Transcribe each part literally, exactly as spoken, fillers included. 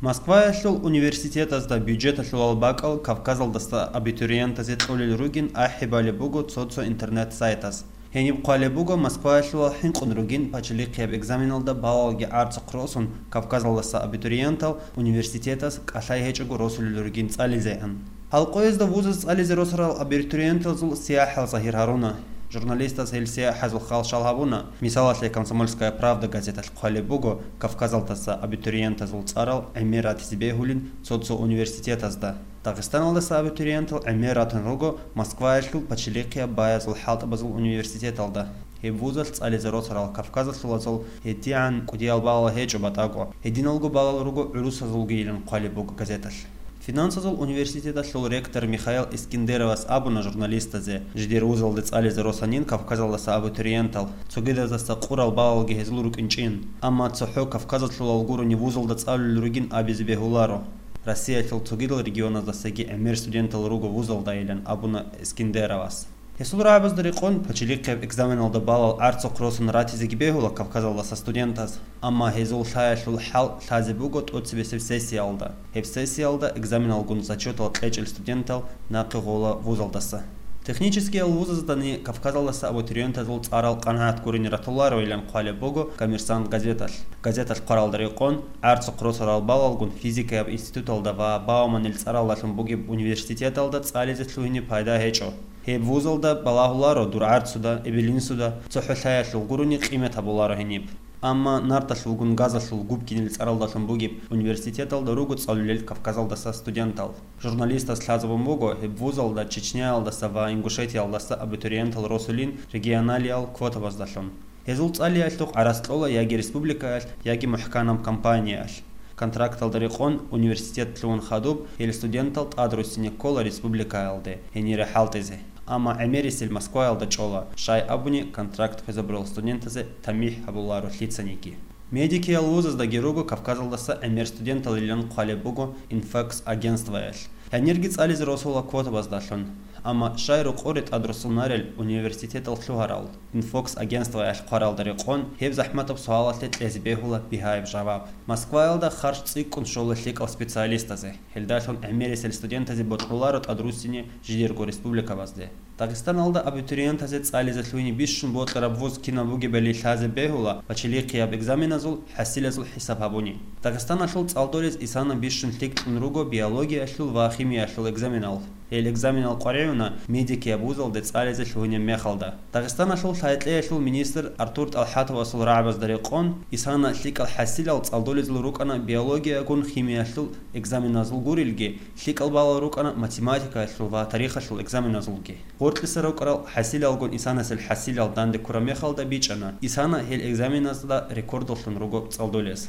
Москваялъул университетазда бюджеталъулал бакӀал Кавказалдаса абитуриентазе кьолел ругин ахӀи балеб буго цо-цо интернет-сайтаз. Гьениб хъвалеб буго Москваялъулал хӀинкъун ругин пачалихъияб экзаменалда балалги гӀарцухъ росун Кавказалдаса абитуриентал университетаз кӀалъай гьечӀого росулел ругин цӀализегӀан. Гьал къоязда вузаз цӀализе росарал абитуриентазул сияхӀал загьир гьаруна. Журналистаз гьел сияхӀазул хал щал гьабуна. Мисалалъе, «Комсомольская правда» газеталъ хъвалеб буго Кавказалдаса абитуриентазул цӀарал гӀемер ратизе бегьулин цо-цо университетазда. Дагъистаналдаса абитуриентал гӀемер ратун руго Москваялъул пачалихъияб баязул хӀалтӀабазул университеталда. Гьеб вузалъ цӀализе росарал кавказалъулазул гьедигӀан кӀудиял балал гьечӀо батӀаго, гьединалго балал руго гӀурусазулгийилан хъвалеб буго газеталъ. Финансазул университеталъул ректор Михаил Искендеровас абуна журналистазе, жидер вузалде цӀализе росанин Кавказалдаса абитуриентал, цогидаздаса къурал балалги гьезул рукӀинчӀин, амма цохӀо Кавказалъулал гурони вузалда цӀалулел ругин абизе бегьуларо. Россиялъул цогидал регионаздасаги гӀемер студентал руго вузалдайилан абуна Искендеровас. Гьесул рагӀабазда рекъон, пачалихъияб экзаменалда балал гӀарцухъ росун ратизеги бегьула Кавказалдаса студентаз, амма гьезул лъаялъул хӀал лъазе буго тӀоцебесеб сессиялда. Гьеб сессиялда экзаменалгун зачетал кьечӀел студентал нахъе гъола вузалдаса. Техническиял вузаздани Кавказалдаса абитуриентазул цӀарал къанагӀат гурине ратулароилан хъвалеб буго «Коммерсант» газеталъ. Газеталъ хъваралда рекъон, гӀарцухъ росарал балалгун физикаяб институталда ва Бауманил цӀаралдалъун бугеб университеталда цӀализе лъугьине пайда гьечӀо. Гьеб вузалда балагьуларо дур гӀарцуда, эбел-инсуда, цохӀо лъаялъул гурони къимат гьабуларо гьениб. Амма нарталъулгун газалъул Губкинил цӀаралдалъун бугеб университеталда руго цӀалулел Кавказалдаса студентал. Журналистас лъазабун буго, гьеб вузалда Чечняялдаса ва Ингушетиялдаса абитуриентал росулин регионалиял квотабаздалъун. Гьезул цӀалиялъухъ гӀарац кьола яги республикаялъ, яги мухӀканаб компаниялъ. Контракталда рекъон университет лъугьун хадуб, гьел студентал тӀадруссине ккола республикаялде гьенире хӀалтӀизе. Амма гӀемерисел Москваялда чӀола, щай абуни контракт хвезабурал студентазе тамихӀ гьабуларо лъицаниги. Медикиял вузаздаги руго Кавказалдаса гӀемер студенталилан хъвалеб буго «Инфокс» агентствоялъ. Гьанирги цӀализе росула квотабаздалъун. Амма щай рукъоре тӀадруссунарел университетал лъугьарал? «Инфокс» агентствоялъ хъваралда рекъон, гьеб захӀматаб суалалъе кьезе бегьула бигьаяб жаваб. Москваялда харж цӀикӀкӀун щола лъикӀал специалистазе. Гьелдалъун гӀемерисел студентазе бокьуларо тӀадруссине жидерго республикабазде. Дагъистаналда абитуриентазе цӀализе лъугьине бищун бокьараб вуз кинаб бугебали лъазе бегьула пачалихъияб экзаменазул хӀасилазул хӀисаб гьабуни. Дагъистаналъул цӀалдолез исана бищун лъикӀлъун руго биологиялъул ва химиялъул экзаменал. Гьел экзаменал къваригӀуна медикияб вузалде цӀализе лъугьинеб мехалда. Дагъистаналъул лъай-кьеялъул министр Артур ТӀалхӀатовасул рагӀабазда рекъон, исана лъикӀал хӀасилал цӀалдолезул рукӀана биологиягун химиялъул экзаменазул гурелги, лъикӀал балал рукӀана математикаялъул ва тарихалъул экзаменазулги. Гъоркьиса рукӀарал хӀасилалгун исанасел хӀасилал данде ккураб мехалда бичӀчӀана, исана гьел экзаменазда рекордалъун руго цӀалдолез.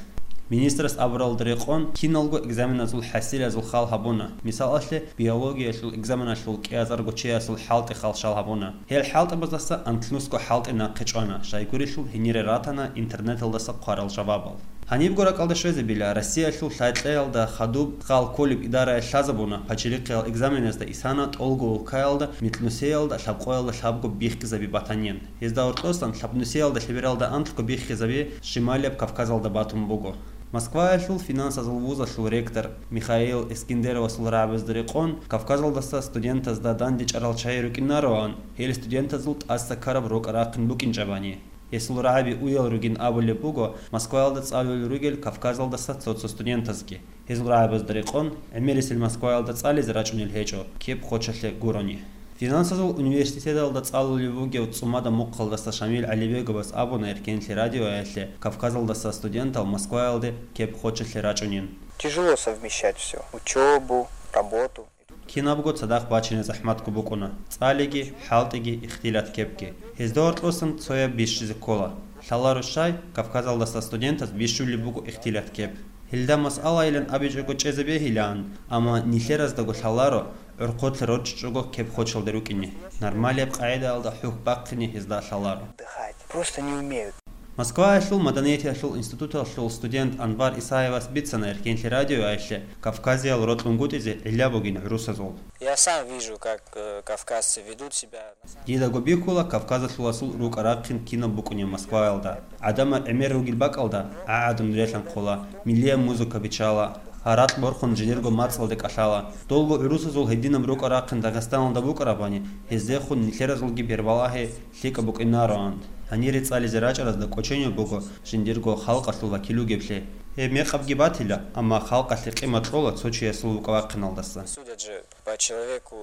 Министрас абуралда рекъон, киналго экзаменазул хӀасилазул хал гьабуна. Мисалалъе, биологиялъул экзаменалъул кӀиазарго чиясул хӀалтӀи хал щал гьабуна. Гьел хӀалтӀабаздаса анлънусго хӀалтӀи нахъе чӀвана, щайгурелъул гьенире ратана интернеталдаса хъварал жавабал. Гьанибго ракӀалда щвезабила, Россиялъул лъай-кьеялда хадуб хал кколеб идараялъ лъазабуна, пачалихъиял экзаменазда исана тӀолго улкаялда микьнусиялда лъабкъоялда лъабго биххизаби батанин. Гьезда гьоркьосан лъабнусиялда лъебералда анлъго биххизаби Шималияб Кавказалда батун буго. Москваялъул финансазул вузалъул ректор Михаил Эскендеровасул рагӀабазда рекъон, Кавказалдаса студентазда дандечӀарал чагӀи рукӀинароан, гьел студентазул тӀаса ккараб рокӀа рахъин букӀинчӀебани. Гьесул рагӀаби уял ругин абулеб буго Москваялда цӀалулел ругел Кавказалдаса цо-цо студентазги. Гьезул рагӀабазда рекъон, гӀемерисел Москваялда цӀализе рачӀунел гьечӀо, кеп хочалъе гурони. Финансазул университеталда цӀалулев вугев ЦӀумада Мухъалдаса Шамил ГӀалибеговас абуна Эркенлъи радиоялъе Кавказалдаса студентал Москваялде кеп хочалъе рачӀунин. Тяжело совмещать все: учебу, работу. Кинабго цадахъ бачине захӀматго букӀуна, цӀалиги, хӀалтӀиги, ихтилат кепги. Гьезда гьоркьосан цояб бищизе ккола. Лъаларо щай, Кавказалдаса студентаз бищулеб буго ихтилат кеп. Гьелда масъалайилан абичӀого чӀезабегьилаан, амма нилъераздаго лъаларо, гӀорхъолъа рорчӀичӀого кеп хочалде рукӀине, нормалияб къагӀидаялда хӀухь бахъине гьезда лъаларо. Отдыхать. Просто не умеют. Москваялъул маданиятиялъул институталъул студент Анвар Исаевас бицана Эркенлъи радиоялъе Кавказиял рокьунгутӀизе гӀилла бугин гӀурусазул. Я сам вижу, как, э, кавказцы ведут себя. Дидаго бихьула Кавказалъуласул рукӀа-рахъин кинаб букӀунеб Москваялда. ГӀадамал гӀемер ругел бакӀалда гӀагӀадун релъанхъула, миллияб музыка биччала. Гьаракь борхун жиндирго мацӀалде кӀалъала. Долго гӀурусазул гьединаб рукӀа-рахъин Дагъистаналда букӀарабани, гьездехун нилъеразулги бербалагьи лъикӀаб букӀинароан. Гьанире цӀализе рачӀаразда кӀоченив буго жиндирго халкъалъул вакил вугеблъи. Гьеб мекъабги батила, амма халкъалъе къимат кьола цо чиясул вукӀа-вахъиналдаса. Судят же по человеку.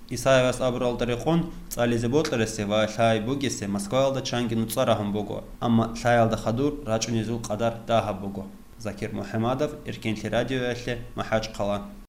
Исаевас абуралда рекъон, цӀализе бокьарасе ва лъай бугесе Москваялда чанги нуцӀа рагьун буго, амма лъаялда хадур рачӀунезул къадар дагьаб буго. Закир МухӀамадов, Эркенлъи радиоялъе, МахӀачхъала.